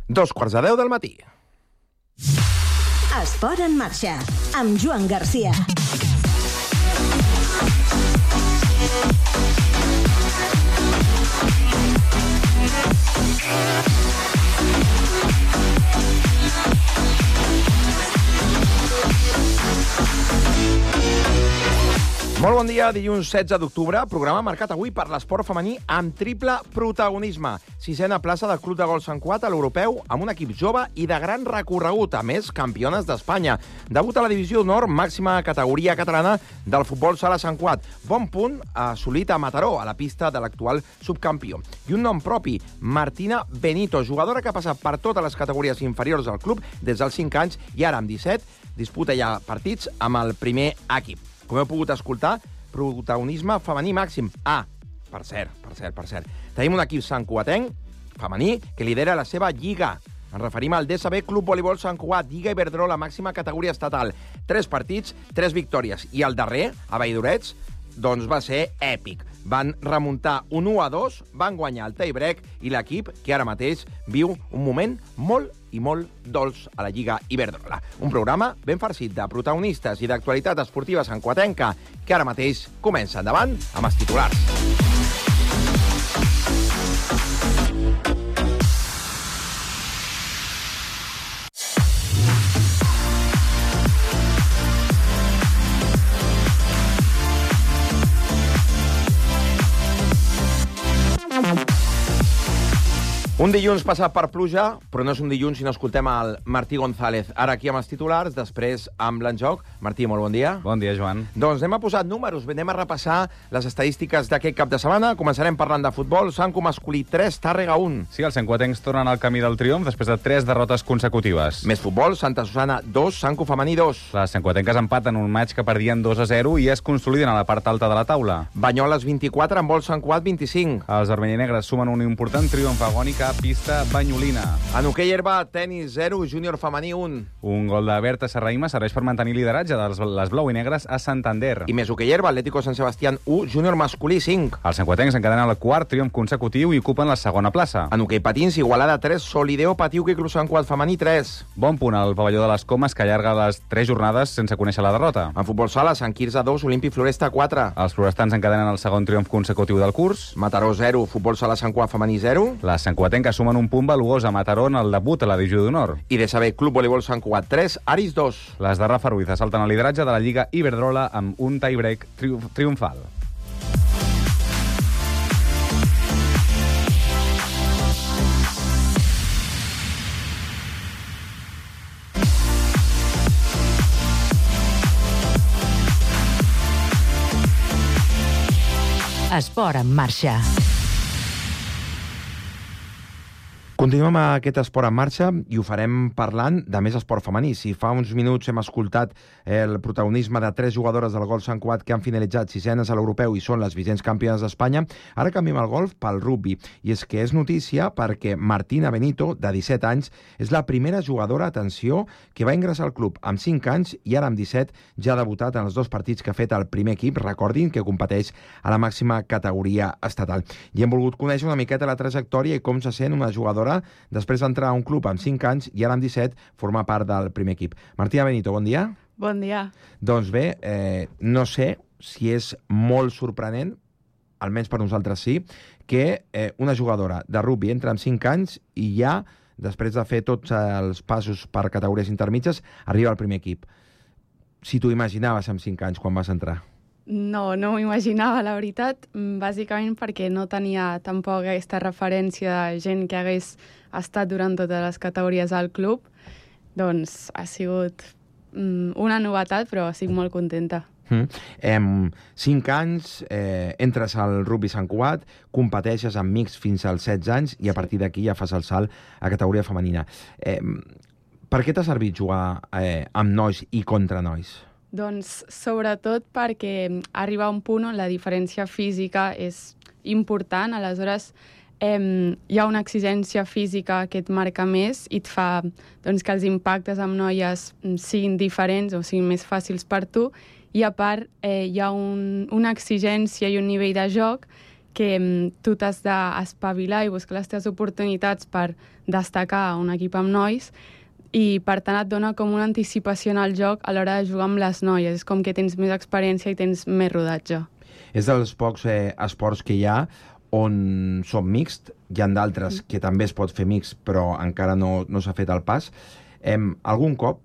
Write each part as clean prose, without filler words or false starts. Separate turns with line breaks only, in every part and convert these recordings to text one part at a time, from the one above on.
2:45 del matí.
Esport en marxa, amb Joan Garcia.
Molt bon dia, dilluns 16 d'octubre, programa marcat avui per l'esport femení amb triple protagonisme. 6a plaça del Club de Golf Sant Cugat a l'Europeu amb un equip jove i de gran recorregut, a més, campiones d'Espanya. Debut a la divisió d'honor, màxima categoria catalana del futbol sala Sant Cugat. Bon punt assolit a Mataró, a la pista de l'actual subcampió. I un nom propi, Martina Benito, jugadora que ha passat per totes les categories inferiors del club des dels 5 anys i ara amb 17 disputa ja partits amb el primer equip. Com heu pogut escoltar, protagonisme femení màxim. Per cert. Tenim un equip santcugatenc, femení, que lidera la seva lliga. Ens referim al DSB Club Voleibol Sant Cugat, Lliga Iberdrola, màxima categoria estatal. 3 partits, 3 victòries. I el darrer, a Valldorets, doncs va ser èpic. Van remuntar un 1-2, van guanyar el tie-break i l'equip, que ara mateix viu un moment molt i molt dolç a la Lliga Iberdrola. Un programa ben farcit de protagonistes i d'actualitat esportiva santcugatenca que ara mateix comença. Endavant amb els titulars. Un dilluns passat per pluja, però no és un dilluns si no escoltem el Martí González. Ara aquí amb els titulars, després amb l'enjoc. Martí, molt bon dia.
Bon dia, Joan.
Doncs anem a posar números, anem a repassar les estadístiques d'aquest cap de setmana. Començarem parlant de futbol. Sanco masculí 3, Tàrrega 1.
Sí, els santcugatencs tornen al camí del triomf després de 3 derrotes consecutives.
Més futbol, Santa Susana 2, Sanco femení 2.
Les santcugatenques empaten un maig que perdien 2-0 i es consoliden a la part alta de la taula.
Banyoles 24, en vol Sant Cugat 25.
Els vermellinegres sumen un important triomf agònic a pista banyolina.
En hoquei herba, tenis 0, júnior femení 1.
Un gol de Berta Serraima serveix per mantenir lideratge de les blau i negres a Santander.
I més hoquei herba, Atlético Sant Sebastián 1, júnior masculí 5.
Els santcugatencs encadenen el quart triomf consecutiu i ocupen la segona plaça.
En hoquei patins, Igualada 3, Solideo Patiuca i Club Sant Cugat femení 3.
Bon punt al pavelló de les Comes, que allarga les 3 jornades sense conèixer la derrota.
En futbol sala, Sant Quirze 2, Olímpic Floresta 4.
Els florestans encadenen el segon triomf consecutiu del curs.
Mataró 0, futbol sala Sant Cugat femení 0.
Les santcugatenques sumen un punt valuós a Mataró en el debut a la divisió d'honor.
I de saber Club Voleibol Sant Cugat 3, Aris 2.
Les de Rafa Ruiz assalten el lideratge de la Lliga Iberdrola amb un tie-break triomfal.
Esport en marxa.
Continuem aquest esport en marxa i ho farem parlant de més esport femení. Si fa uns minuts hem escoltat el protagonisme de 3 jugadores del golf Sant Cugat que han finalitzat 6enes a l'Europeu i són les vigents campiones d'Espanya, ara canviem el golf pel rugby. I és que és notícia perquè Martina Benito, de 17 anys, és la primera jugadora, atenció, que va ingressar al club amb 5 anys i ara amb 17 ja ha debutat en els 2 partits que ha fet el primer equip, recordin que competeix a la màxima categoria estatal. I hem volgut conèixer una miqueta la trajectòria i com se sent una jugadora després d'entrar a un club amb 5 anys i ara amb 17 formar part del primer equip. Martina Benito, bon dia.
Bon dia.
Doncs bé, no sé si és molt sorprenent, almenys per nosaltres sí, que una jugadora de rugby entra amb 5 anys i ja, després de fer tots els passos per categories intermitges, arriba al primer equip. Si t'ho imaginaves amb 5 anys quan vas entrar?
No m'ho imaginava, la veritat, bàsicament perquè no tenia tampoc aquesta referència de gent que hagués estat durant totes les categories al club. Doncs ha sigut una novetat, però estic molt contenta.
5 anys, entres al rugby Sant Cugat, competeixes amb mixt fins als 16 anys i a partir d'aquí ja fas el salt a categoria femenina. Per què t'ha servit jugar amb nois i contra nois?
Doncs sobretot perquè arriba a un punt on la diferència física és important, aleshores hi ha una exigència física que et marca més i et fa doncs, que els impactes amb noies siguin diferents o siguin més fàcils per tu, i a part hi ha una exigència i un nivell de joc que tu t'has d'espavilar i buscar les teves oportunitats per destacar a un equip amb nois, i per tant et dona com una anticipació en el joc a l'hora de jugar amb les noies. És com que tens més experiència i tens més rodatge.
És dels pocs esports que hi ha on són mixt, hi ha d'altres que també es pot fer mixt, però encara no s'ha fet el pas. Algun cop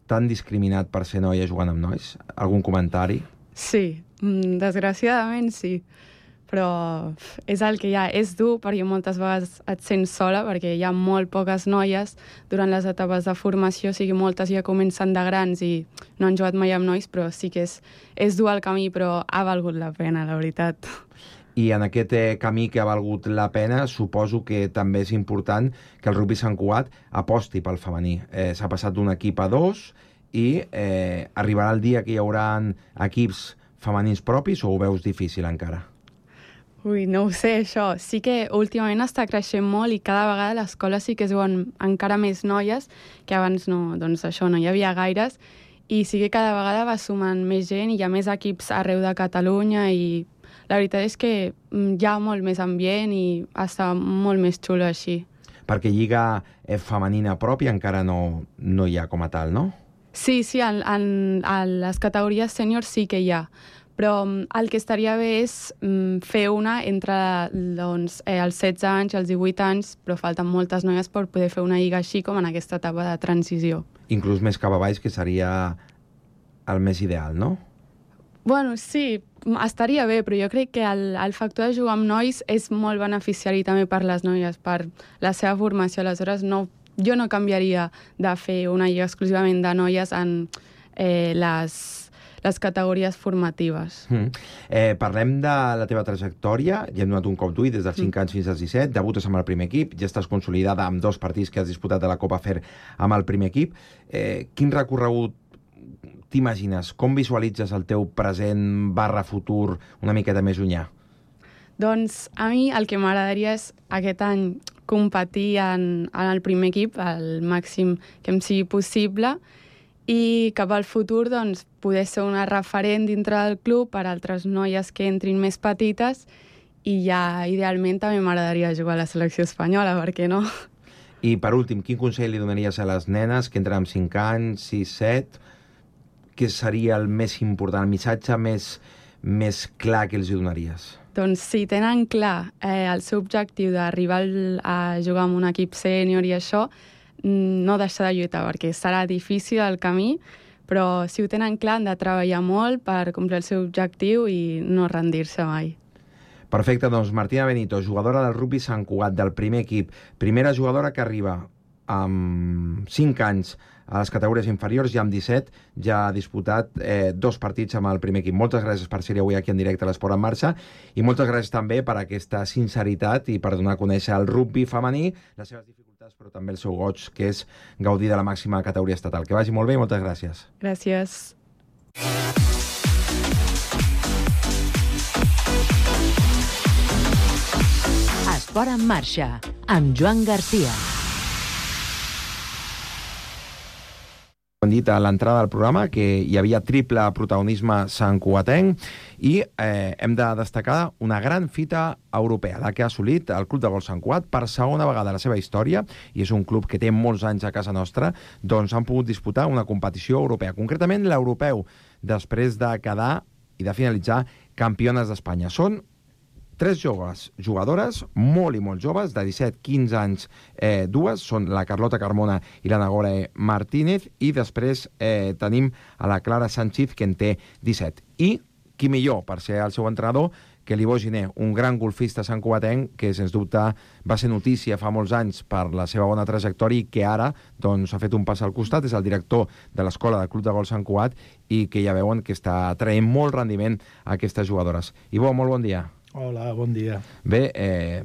t'han discriminat per ser noia jugant amb nois? Algun comentari?
Sí, desgraciadament sí. Però és el que hi ha. És dur perquè moltes vegades et sents sola perquè hi ha molt poques noies durant les etapes de formació, o sigui, moltes ja comencen de grans i no han jugat mai amb nois, però sí que és dur el camí, però ha valgut la pena, la veritat.
I en aquest camí que ha valgut la pena, suposo que també és important que el rugby Sant Cugat aposti pel femení. S'ha passat d'un equip a 2 i arribarà el dia que hi haurà equips femenins propis o ho veus difícil encara?
Ui, no ho sé, això. Sí que últimament està creixent molt i cada vegada a l'escola sí que es veuen encara més noies, que abans no, doncs això, no hi havia gaires, i sí que cada vegada va sumant més gent i hi ha més equips arreu de Catalunya i la veritat és que hi ha molt més ambient i està molt més xulo així.
Perquè lliga femenina pròpia encara no hi ha com a tal, no?
Sí, en les categories sèniors sí que hi ha, però el que estaria bé és fer una entre els 16 anys i els 18 anys, però falten moltes noies per poder fer una lliga així com en aquesta etapa de transició.
Inclús més cap a baix, que seria el més ideal, no?
Bueno, sí, estaria bé, però jo crec que el factor de jugar amb nois és molt beneficiari també per les noies, per la seva formació. Aleshores, jo no canviaria de fer una lliga exclusivament de noies en les categories formatives.
Parlem de la teva trajectòria. Ja hem donat un cop d'ull des dels 5 anys fins als 17. Debutes amb el primer equip. Ja estàs consolidada amb 2 partits que has disputat a la Copa Fer amb el primer equip. Quin recorregut t'imagines? Com visualitzes el teu present / futur una miqueta més llunyà?
Doncs a mi el que m'agradaria és aquest any competir en el primer equip al màxim que em sigui possible i cap al futur doncs, poder ser una referent dintre del club per a altres noies que entrin més petites i ja idealment també m'agradaria jugar a la selecció espanyola, per què no?
I per últim, quin consell li donaries a les nenes que entren amb 5 anys, 6, 7? Què seria el més important, el missatge més clar que els donaries?
Doncs si tenen clar el seu objectiu d'arribar a jugar amb un equip sènior i això, no deixar de lluitar, perquè serà difícil el camí, però si ho tenen clar han de treballar molt per complir el seu objectiu i no rendir-se mai.
Perfecte, doncs Martina Benito, jugadora del rugby Sant Cugat, del primer equip, primera jugadora que arriba amb 5 anys a les categories inferiors, ja amb 17, ja ha disputat 2 partits amb el primer equip. Moltes gràcies per ser avui aquí en directe a l'Esport en Marxa i moltes gràcies també per aquesta sinceritat i per donar a conèixer el rugby femení, les seves dificultats, però també el seu goig, que és gaudir de la màxima categoria estatal. Que vagi molt bé i moltes gràcies.
Gràcies.
Esport en Marxa, amb Joan Garcia.
Hem dit a l'entrada del programa que hi havia triple protagonisme santcugatenc i hem de destacar una gran fita europea, la que ha assolit el Club de Golf Sant Cugat per segona vegada a la seva història, i és un club que té molts anys a casa nostra, doncs han pogut disputar una competició europea, concretament l'europeu, després de quedar i de finalitzar campiones d'Espanya. Són 3 joves jugadores, molt i molt joves, de 17-15 anys, 2, són la Carlota Carmona i la Nagore Martínez, i després tenim a la Clara Sánchez, que en té 17. I qui millor per ser el seu entrenador que l'Ivo Giner, un gran golfista santcugatenc que, sens dubte, va ser notícia fa molts anys per la seva bona trajectòria i que ara doncs, ha fet un pas al costat, és el director de l'Escola del Club de Golf Sant Cugat i que ja veuen que està traient molt rendiment a aquestes jugadores. Ivo, molt bon dia.
Hola, bon dia.
Bé,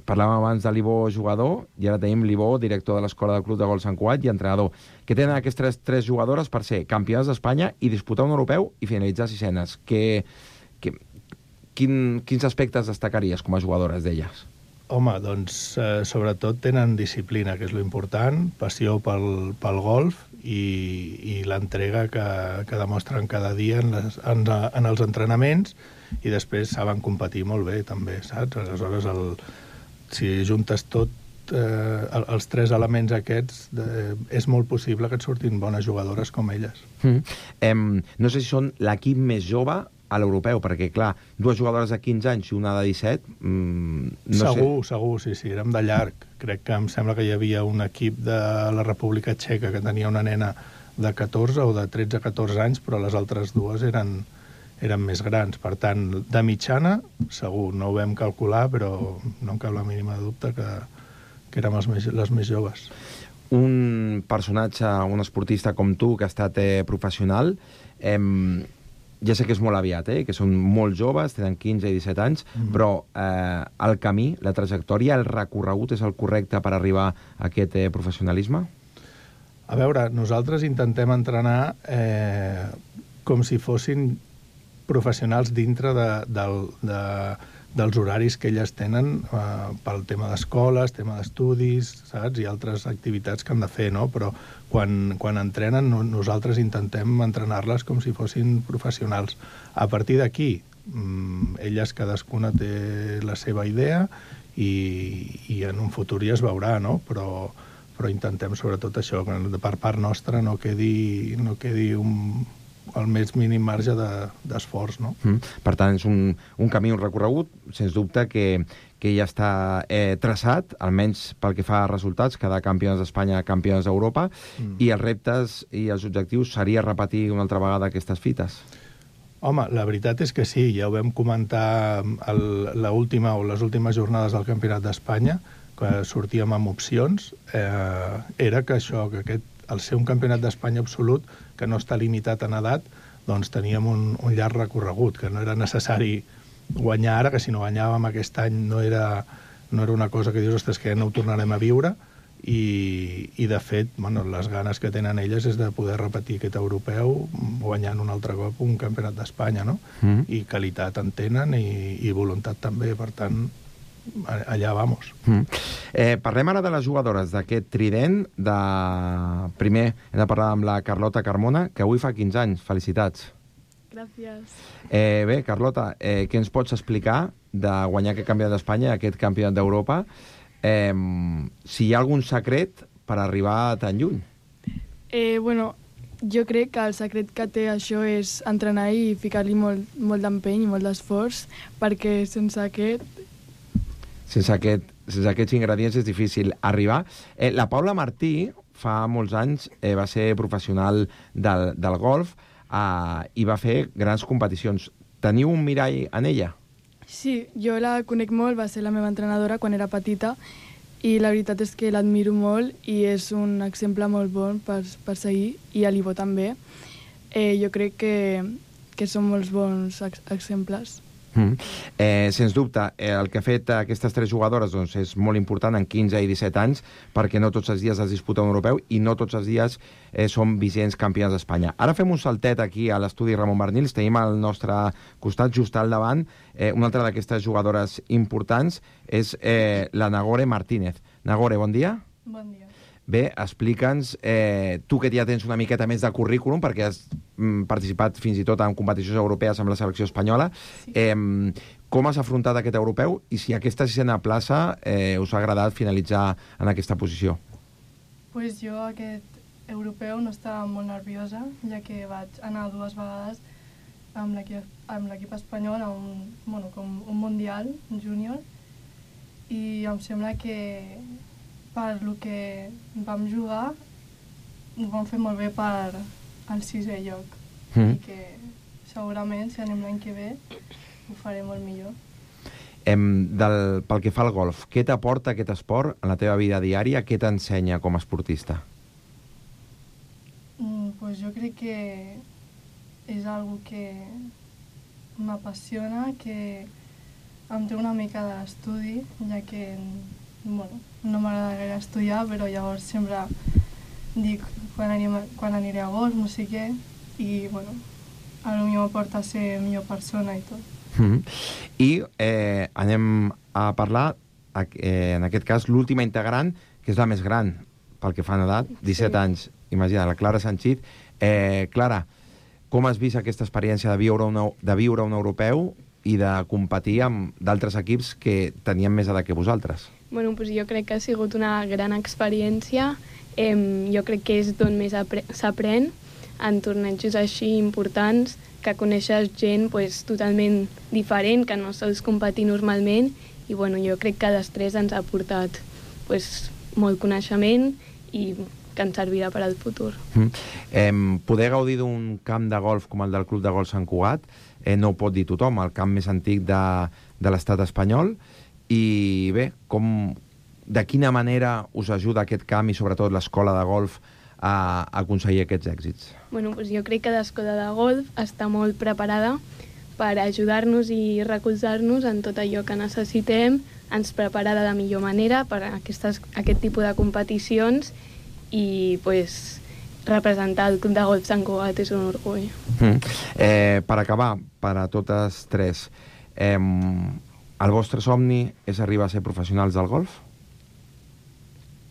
parlàvem abans de l'Ivo jugador i ara tenim l'Ivo, director de l'Escola del Club de Golf Sant Cugat i entrenador. Què tenen aquestes 3 jugadores per ser campiones d'Espanya i disputar un europeu i finalitzar sisenes? Quins aspectes destacaries com a jugadores d'elles?
Home, doncs, sobretot tenen disciplina, que és lo important, passió pel golf i l'entrega que demostren cada dia en els entrenaments, i després saben competir molt bé, també, saps? Aleshores, si juntes tot, els tres elements aquests, és molt possible que et surtin bones jugadores com elles.
No sé si són l'equip més jove a l'europeu, perquè, clar, dues jugadores de 15 anys i una de 17...
Segur, sí, érem de llarg. Crec que em sembla que hi havia un equip de la República Txeca que tenia una nena de 14 o de 13-14 anys, però les altres dues eren més grans. Per tant, de mitjana, segur, no ho vam calcular, però no em cap la mínima dubte que érem les més joves.
Un personatge, un esportista com tu, que ha estat professional, ja sé que és molt aviat, que són molt joves, tenen 15 i 17 anys, però el camí, la trajectòria, el recorregut és el correcte per arribar a aquest professionalisme?
A veure, nosaltres intentem entrenar com si fossin professionals dintre dels horaris que elles tenen pel tema d'escoles, tema d'estudis, saps? I altres activitats que han de fer, no? Però quan entrenen, nosaltres intentem entrenar-les com si fossin professionals. A partir d'aquí, elles cadascuna té la seva idea i en un futur ja es veurà, no? Però intentem sobretot això, que per part nostra no quedi el més mínim marge d'esforç, no?
Per tant, és un camí, un recorregut, sens dubte, que ja està traçat, almenys pel que fa a resultats, quedar campiones d'Espanya, campiones d'Europa, i els reptes i els objectius seria repetir una altra vegada aquestes fites?
Home, la veritat és que sí, ja ho vam comentar les últimes jornades del Campionat d'Espanya, que sortíem amb opcions, era que al ser un campionat d'Espanya absolut, que no està limitat en edat, doncs teníem un llarg recorregut, que no era necessari guanyar ara, que si no guanyàvem aquest any no era una cosa que dius, ostres, que ja no ho tornarem a viure, i de fet, les ganes que tenen elles és de poder repetir aquest europeu guanyant un altre cop un campionat d'Espanya, no? I qualitat en tenen i voluntat també, per tant, allà vamos.
Parlem ara de les jugadores d'aquest trident. Primer hem de parlar amb la Carlota Carmona, que avui fa 15 anys. Felicitats.
Gràcies.
Bé, Carlota, què ens pots explicar de guanyar aquest campionat d'Espanya, aquest campionat d'Europa? Si hi ha algun secret per arribar tan lluny?
Jo crec que el secret que té això és entrenar i ficar-li molt d'empeny i molt d'esforç, perquè sense
aquests ingredients és difícil arribar. La Paula Martí fa molts anys va ser professional del golf i va fer grans competicions. Teniu un mirall en ella?
Sí, jo la conec molt, va ser la meva entrenadora quan era petita, i la veritat és que l'admiro molt i és un exemple molt bon per seguir, i a l'Ivo també. Jo crec que són molts bons exemples.
Sens dubte, el que ha fet aquestes tres jugadores és molt important en 15 i 17 anys, perquè no tots els dies es disputa un europeu i no tots els dies són vigents campionats d'Espanya. Ara fem un saltet aquí a l'estudi Ramon Barnils, tenim al nostre costat, just al davant, una altra d'aquestes jugadores importants és la Nagore Martínez. Nagore, bon dia.
Bon dia.
Bé, explica'ns, tu que ja tens una miqueta més de currículum, perquè has participat fins i tot en competicions europees amb la selecció espanyola, com has afrontat aquest europeu i si aquesta sisena plaça us ha agradat finalitzar en aquesta posició?
Pues jo aquest europeu no estava molt nerviosa, ja que vaig anar 2 vegades amb l'equip espanyol a un mundial júnior, i em sembla que per lo que vam jugar ho vam fer molt bé per al 6è lloc, i que segurament si anem l'any que ve ho faré molt millor.
Pel que fa al golf, què t'aporta aquest esport en la teva vida diària? Què t'ensenya com a esportista?
Pues jo crec que és algo que m'apassiona, que em té una mica d'estudi, ja que no m'agrada gaire estudiar, però llavors sempre dic quan aniré a golf, no sé què, i potser m'aporta a ser millor persona i tot.
I anem a parlar en aquest cas, l'última integrant, que és la més gran pel que fa en edat, 17 anys. Imagina, la Clara Sanchit. Clara, com has vist aquesta experiència de viure un europeu i de competir amb d'altres equips que tenien més edat que vosaltres?
Bueno, doncs jo crec que ha sigut una gran experiència. Jo crec que és d'on més s'aprèn en tornejos així importants, que coneixes gent totalment diferent, que no sols competir normalment, i jo crec que després ens ha portat molt coneixement i que ens servirà per al futur.
Poder gaudir d'un camp de golf com el del Club de Golf Sant Cugat no ho pot dir tothom, el camp més antic de l'estat espanyol, i bé, de quina manera us ajuda aquest camp i sobretot l'escola de golf a aconseguir aquests èxits?
Doncs jo crec que l'escola de golf està molt preparada per ajudar-nos i recolzar-nos en tot allò que necessitem, ens prepara de la millor manera per a aquest tipus de competicions i representar el Club de Golf Sant Cugat és un orgull.
Per acabar, per a totes tres, el vostre somni és arribar a ser professionals del golf?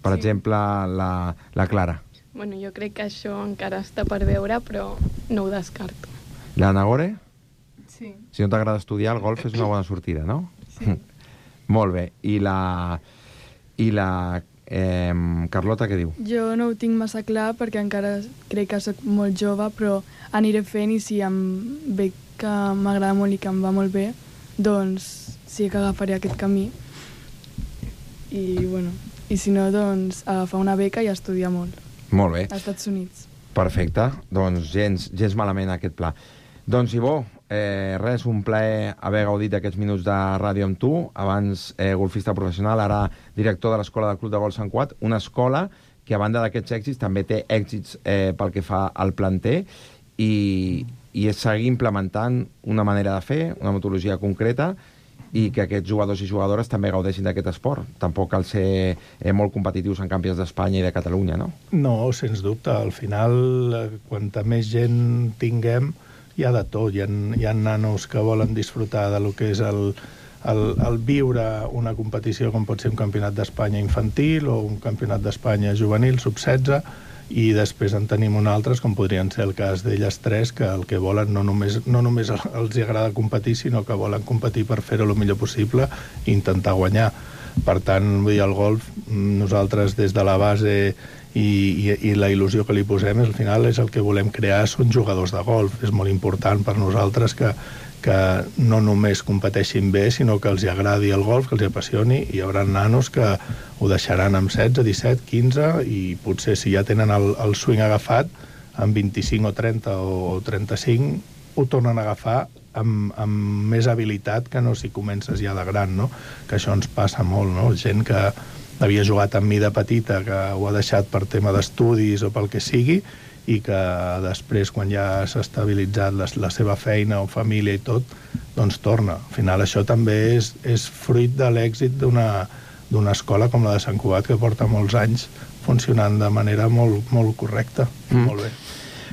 Per exemple, la Clara.
Jo crec que això encara està per veure, però no ho descarto.
La Nagore?
Sí.
Si no t'agrada estudiar, el golf és una bona sortida, no?
Sí.
Molt bé. I la Carlota què diu?
Jo no ho tinc massa clar perquè encara crec que soc molt jove, però aniré fent i si em veig que m'agrada molt i que em va molt bé, doncs sí que agafaré aquest camí. I si no, doncs agafar una beca i estudiar molt.
Molt bé.
Als Estats Units.
Perfecte. Doncs gens malament aquest pla. Doncs, Ibó, res, un plaer haver gaudit d'aquests minuts de ràdio amb tu. Abans golfista professional, ara director de l'Escola del Club de Golf Sant Cugat, una escola que a banda d'aquests èxits també té èxits pel que fa al planter i és seguir implementant una manera de fer, una metodologia concreta i que aquests jugadors i jugadores també gaudeixin d'aquest esport. Tampoc cal ser molt competitius en campions d'Espanya i de Catalunya, no?
No, sens dubte. Al final, quanta més gent tinguem, hi ha de tot. Hi ha nanos que volen disfrutar de lo que és el viure una competició com pot ser un campionat d'Espanya infantil o un campionat d'Espanya juvenil, sub-16, i després en tenim un altres, com podrien ser el cas d'elles tres, que el que volen no només els agrada competir, sinó que volen competir per fer-ho el millor possible i intentar guanyar. Per tant, vull dir, el golf, nosaltres des de la base i la il·lusió que li posem, al final és el que volem crear, són jugadors de golf. És molt important per nosaltres que no només competeixin bé, sinó que els agradi el golf, que els apassioni, i hi haurà nanos que ho deixaran amb 16, 17, 15, i potser si ja tenen el swing agafat, amb 25 o 30 o 35, ho tornen a agafar amb més habilitat que no si comences ja de gran, no? Que això ens passa molt, no? Gent que havia jugat amb mi de petita, que ho ha deixat per tema d'estudis o pel que sigui, i que després, quan ja s'ha estabilitzat la seva feina o família i tot, doncs torna. Al final això també és fruit de l'èxit d'una escola com la de Sant Cugat, que porta molts anys funcionant de manera molt, molt correcta. Molt bé.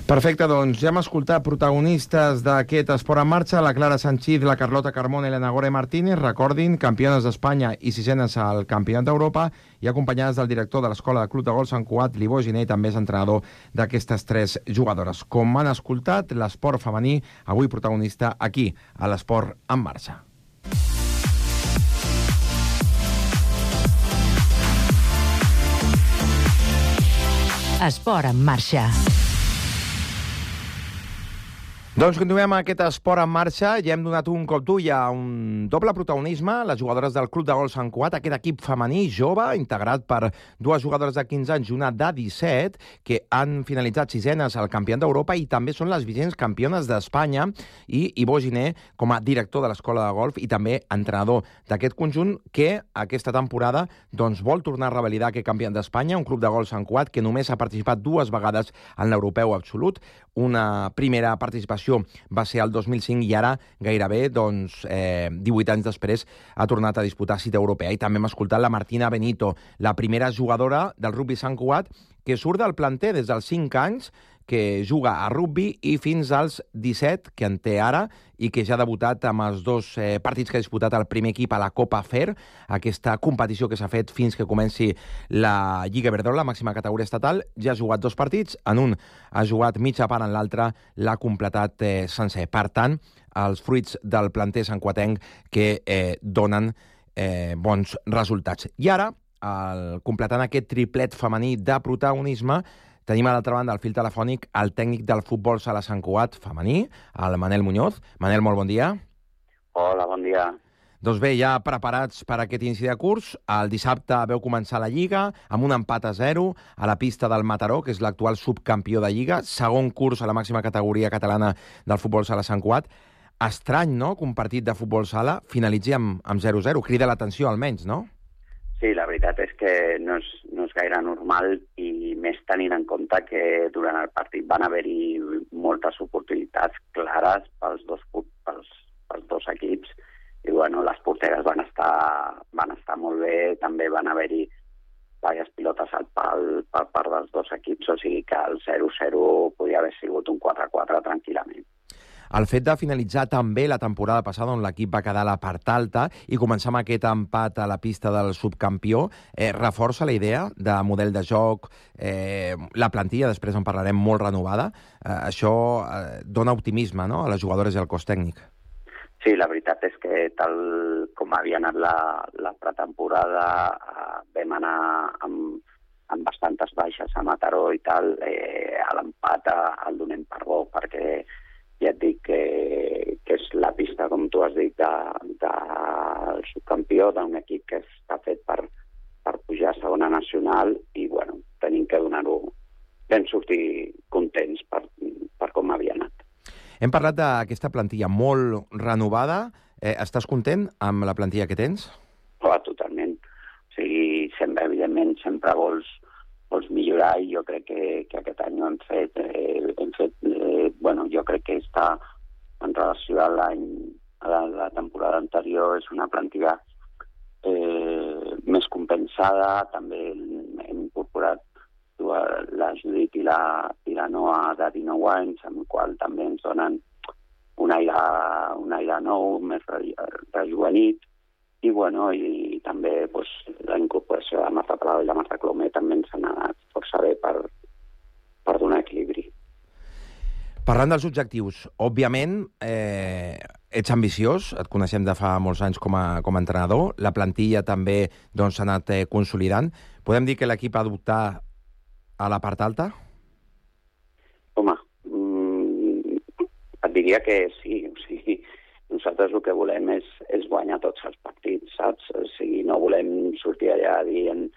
Perfecte, doncs ja hem escoltat protagonistes d'aquest Esport en Marxa, la Clara Sanchit, la Carlota Carmona i la Nagore Martínez, recordin, campiones d'Espanya i sisenes al Campionat d'Europa, i acompanyades del director de l'Escola de Club de Golf Sant Cugat, l'Ibó Giner, també és entrenador d'aquestes tres jugadores. Com han escoltat, l'esport femení, avui protagonista aquí, a l'Esport en Marxa.
Esport en Marxa.
Doncs continuem aquest Esport en Marxa. Ja hem donat un cop d'ull a un doble protagonisme, les jugadores del Club de Golf Sant Cugat, aquest equip femení jove, integrat per dues jugadores de 15 anys i una de 17, que han finalitzat sisenes al Campionat d'Europa i també són les vigents campiones d'Espanya, i Ibó Giner, com a director de l'Escola de Golf i també entrenador d'aquest conjunt, que aquesta temporada doncs, vol tornar a revalidar aquest Campionat d'Espanya, un Club de Golf Sant Cugat que només ha participat 2 vegades en l'Europeu Absolut. Una primera participació va ser el 2005 i ara gairebé 18 anys després ha tornat a disputar cita europea. I també hem escoltat la Martina Benito, la primera jugadora del rugby Sant Cugat, que surt del planter des dels 5 anys, que juga a rugby, i fins als 17, que en té ara, i que ja ha debutat amb els 2 partits que ha disputat el primer equip a la Copa FER, aquesta competició que s'ha fet fins que comenci la Lliga Iberdrola, la màxima categoria estatal. Ja ha jugat 2 partits, en un ha jugat mitja part, en l'altre l'ha completat sencer. Per tant, els fruits del planter santcuatenc que donen bons resultats. I ara, completant aquest triplet femení de protagonisme, tenim a l'altra banda al fil telefònic el tècnic del futbol sala Sant Cugat femení, el Manel Muñoz. Manel, molt bon dia.
Hola, bon dia.
Doncs bé, ja preparats per aquest inici de curs. El dissabte veu començar la Lliga amb un empat a 0 a la pista del Mataró, que és l'actual subcampió de Lliga, segon curs a la màxima categoria catalana del futbol sala Sant Cugat. Estrany, no?, que un partit de futbol sala finalitzi amb 0-0. Crida l'atenció, almenys, no?
Sí, la veritat és que no és gaire normal, i més tenint en compte que durant el partit van haver-hi moltes oportunitats clares pels dos equips, i bueno, les porteres van estar molt bé, també van haver-hi diverses pilotes al pal per part dels dos equips, o sigui que el 0-0 podia haver sigut un 4-4 tranquil·lament.
El fet de finalitzar també la temporada passada, on l'equip va quedar a la part alta, i començar amb aquest empat a la pista del subcampió, reforça la idea de model de joc, la plantilla, després en parlarem, molt renovada. Això dona optimisme, no?, a les jugadores i al cos tècnic.
Sí, la veritat és que tal com havia anat la pretemporada, vam anar amb bastantes baixes a Mataró i tal, a l'empat el donem per bo, perquè ja et dic que és la pista, com tu has dit, del subcampió, d'un equip que està fet per pujar a segona nacional, i bueno, tenim que donar-ho. Vam sortir contents per com havia anat.
Hem parlat d'aquesta plantilla molt renovada. Estàs content amb la plantilla que tens?
Totalment. O sigui, evidentment, sempre vols millorar, i jo crec que aquest any ho hem fet. Jo crec que està, en relació a la temporada anterior, és una plantilla més compensada. També hem incorporat la Judit i la Noa de 19 anys, amb el qual també ens donen un aire nou, més rejuvenit. I, bueno, i també la incorporació de Marta Prado i la Marta Clomer també ens han anat força bé per donar equilibri.
Parlant dels objectius, òbviament, ets ambiciós, et coneixem de fa molts anys com a entrenador, la plantilla també s'ha anat consolidant. Podem dir que l'equip ha d'optar a la part alta?
Home, et diria que sí, o sigui, nosaltres el que volem és guanyar tots els partits, saps? O sigui, no volem sortir allà dient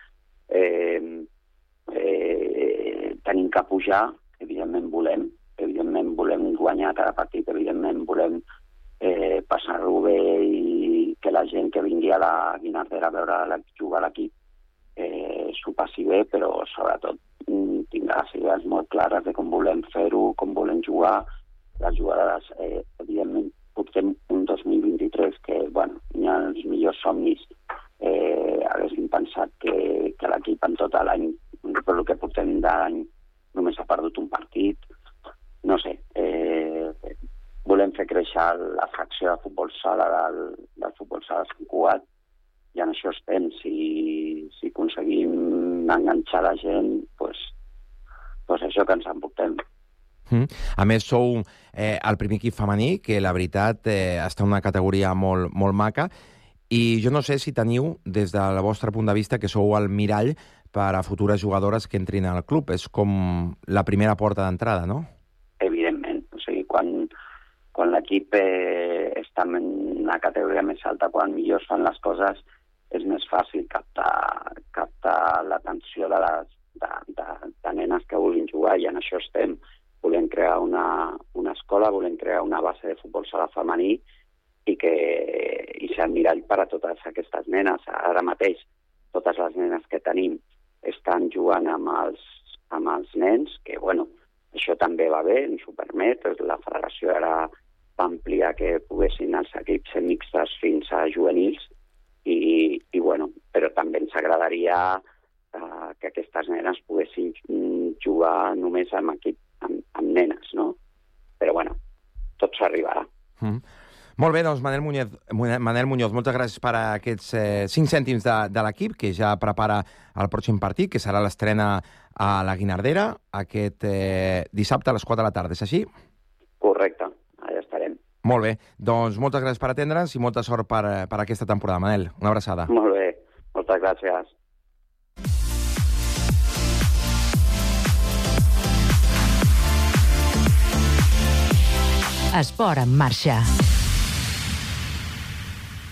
tenim que pujar, evidentment volem guanyar cada partit, evidentment volem passar-ho bé, i que la gent que vingui a la Guinardera a veure jugar a l'equip s'ho passi bé, però sobretot tindrà les idees molt clares de com volem fer-ho, com volem jugar. Les jugadores, evidentment, portem un 2023 que, bueno, ni els millors somnis haguessin pensat que l'equip en tot l'any, per el que portem d'any, només ha perdut un partit. No sé, volem fer créixer la fracció de futbol sala del futbol sala Sant Cugat, i en això estem. Si aconseguim enganxar la gent, doncs això que ens emportem.
A més, sou el primer equip femení, que la veritat està en una categoria molt, molt maca, i jo no sé si teniu, des del vostre punt de vista, que sou el mirall per a futures jugadores que entrin al club. És com la primera porta d'entrada, no?
Evidentment. O sigui, quan l'equip està en una categoria més alta, quan millor fan les coses, és més fàcil captar l'atenció de nenes que vulguin jugar, i en això estem. Volem crear una escola, volem crear una base de futbol sala femení i ser el mirall per a totes aquestes nenes. Ara mateix, totes les nenes que tenim estan jugant amb els nens, que, bueno, això també va bé, ens ho permet. La federació ara va ampliar que poguessin els equips ser mixtes fins a juvenils, i bueno, però també ens agradaria que aquestes nenes poguessin jugar només amb amb nenes, no? Però bueno, tot s'arribarà.
Molt bé, doncs Manel Muñoz, moltes gràcies per aquests 5 cèntims de l'equip que ja prepara el pròxim partit, que serà l'estrena a la Guinardera aquest dissabte a les 4 de la tarda, és així?
Correcte, allà estarem.
Molt bé, doncs moltes gràcies per atendre'ns i molta sort per aquesta temporada, Manel. Una abraçada.
Molt bé, moltes gràcies.
Esport en marxa.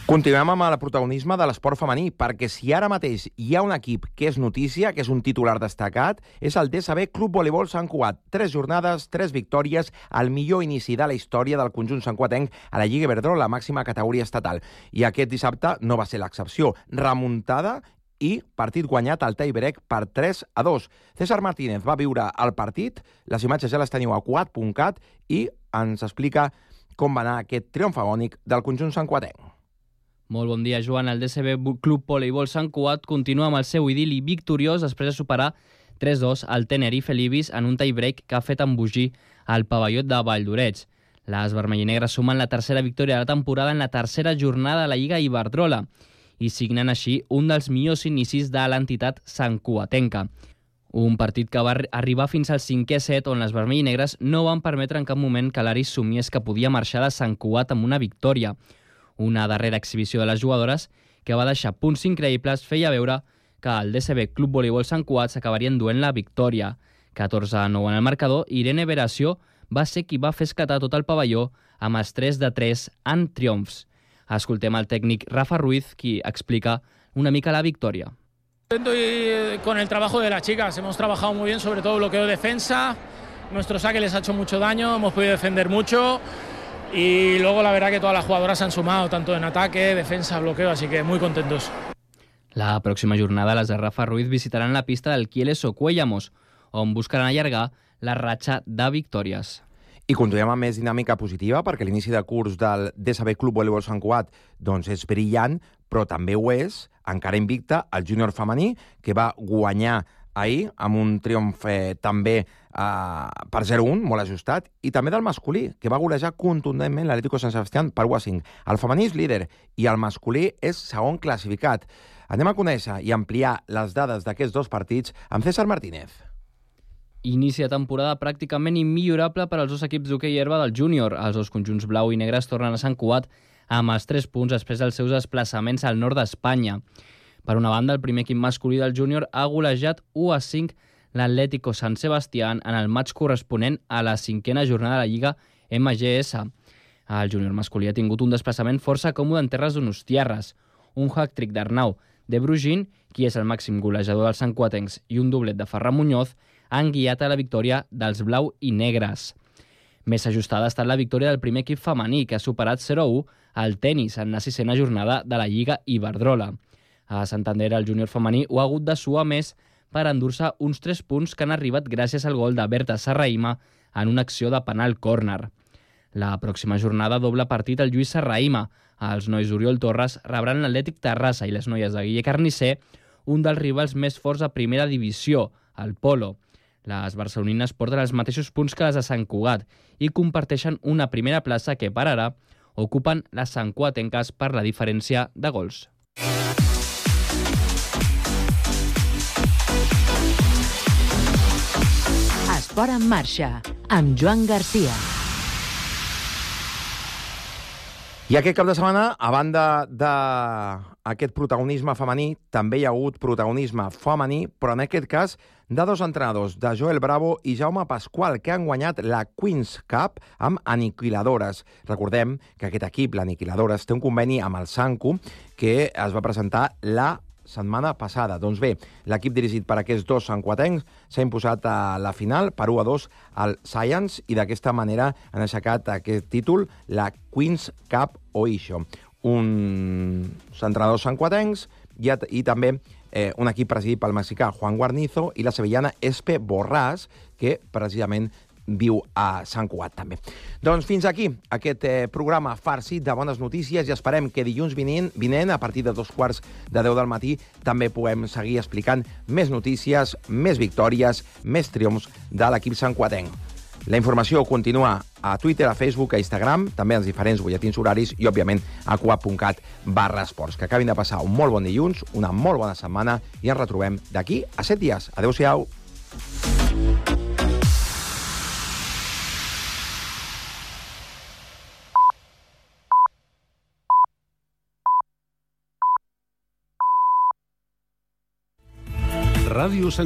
Continuem amb el protagonisme de l'esport femení, perquè si ara mateix hi ha un equip que és notícia, que és un titular destacat, és el DSB Club Voleibol Sant Cugat. 3 jornades, 3 victòries, el millor inici de la història del conjunt santcuatenc a la Lliga Iberdrola, la màxima categoria estatal. I aquest dissabte no va ser l'excepció. Remuntada i partit guanyat al tie-break per 3-2. César Martínez va viure el partit, les imatges ja les teniu a quad.cat i ens explica com va anar aquest triomf agònic del conjunt santcuatenc.
Molt bon dia, Joan. El DSB Club Voleibol Sant Cugat continua amb el seu idil·li victoriós després de superar 3-2 al Tenerife Libis en un tie-break que ha fet embogir al pavelló de Valldoreix. Les vermellinegres sumen la tercera victòria de la temporada en la tercera jornada de la Lliga Iberdrola i signen així un dels millors inicis de l'entitat santcuatenca. Un partit que va arribar fins al 5è set on les vermellinegres no van permetre en cap moment que l'Aris somiés que podia marxar de Sant Cugat amb una victòria. Una darrera exhibició de les jugadores que va deixar punts increïbles feia veure que el DSB Club Voleibol Sant Cugat s'acabaria enduent la victòria. 14-9 en el marcador, Irene Veració va ser qui va fer esclatar tot el pavelló amb els 3-3 en triomfs. Escoltem el tècnic Rafa Ruiz, qui explica una mica la victòria.
Y con el trabajo de las chicas, hemos trabajado muy bien, sobre todo bloqueo defensa, nuestro saque les ha hecho mucho daño, hemos podido defender mucho y luego la verdad que todas las jugadoras han sumado, tanto en ataque, defensa, bloqueo, así que muy contentos.
La pròxima jornada les de Rafa Ruiz visitaran la pista del Quieles o Cuellamos, on buscaran allargar la ratxa de victòries.
I continuem amb més dinàmica positiva, perquè l'inici de curs del DSB Club Voleibol Sant Cugat doncs és brillant, però també ho és, encara invicta, el júnior femení, que va guanyar ahir amb un triomf també per 0-1, molt ajustat, i també del masculí, que va golejar contundentment l'Atlético Sant Sebastián per 1-5. El femení és líder i el masculí és segon classificat. Anem a conèixer i ampliar les dades d'aquests dos partits amb César Martínez.
Inici de temporada pràcticament immillorable per als dos equips d'hoquei herba del júnior. Els dos conjunts blau i negres tornen a Sant Cugat amb els 3 punts després dels seus desplaçaments al nord d'Espanya. Per una banda, el primer equip masculí del júnior ha golejat 1-5 l'Atlético Sant Sebastián en el matx corresponent a la 5a jornada de la Lliga MGS. El júnior masculí ha tingut un desplaçament força còmode en terres donostiarres. Un hat-trick d'Arnau de Brugin, qui és el màxim golejador dels santcuatencs, i un doblet de Ferran Muñoz han guiat a la victòria dels blau i negres. Més ajustada ha estat la victòria del primer equip femení, que ha superat 0-1 al tenis en la 6a jornada de la Lliga Iberdrola. A Santander, el júnior femení ho ha hagut de suar més per endur-se uns 3 punts que han arribat gràcies al gol de Berta Serraïma en una acció de penal córner. La pròxima jornada doble partit al Lluís Serraïma. Els nois d'Oriol Torres rebran l'Atlètic Terrassa i les noies de Guille Carnisser, un dels rivals més forts a primera divisió, el Polo. Les barcelonines porten els mateixos punts que les de Sant Cugat i comparteixen una primera plaça que, per ara, ocupen les santcuatenques per la diferència de gols.
Esport en marxa, amb Joan Garcia.
I aquest cap de setmana, a banda d'aquest protagonisme femení, també hi ha hagut protagonisme femení, però en aquest cas de dos entrenadors, de Joel Bravo i Jaume Pasqual, que han guanyat la Queen's Cup amb Aniquiladores. Recordem que aquest equip, l'Aniquiladores, té un conveni amb el Sancu que es va presentar la setmana passada. Doncs bé, l'equip dirigit per aquests dos santcuatencs s'ha imposat a la final per 1-2 al Science i d'aquesta manera han aixecat aquest títol, la Queen's Cup Oixo. Uns entrenadors santcuatencs i també un equip presidit pel mexicà Juan Guarnizo i la sevillana Espe Borràs, que precisament viu a Sant Cugat també. Doncs fins aquí aquest programa farcit de bones notícies i esperem que dilluns vinent, a partir de 9:15 del matí, també puguem seguir explicant més notícies, més victòries, més triomfs de l'equip santcuatenc. La informació continua a Twitter, a Facebook, a Instagram, també als diferents butlletins horaris i, òbviament, a coap.cat/esports. Que acabin de passar un molt bon dilluns, una molt bona setmana i ens retrobem d'aquí a 7 dies. Adéu-siau.
Ràdio Sant